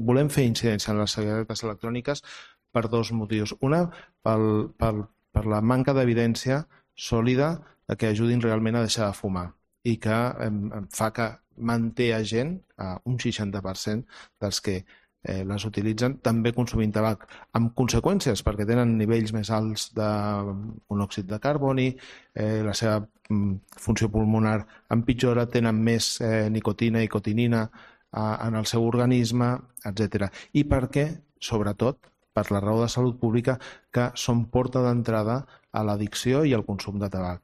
volem fer incidència en les cigaretes electròniques per dos motius. Una, per la manca d'evidència sòlida que ajudin realment a deixar de fumar i que fa que manté a gent, un 60% dels que les utilitzen, també consumint tabac, amb conseqüències, perquè tenen nivells més alts de monòxid de carboni, la seva funció pulmonar empitjora, tenen més nicotina i cotinina en el seu organisme, etc. I perquè, sobretot, per la raó de salut pública, que són porta d'entrada a l'addicció i al consum de tabac.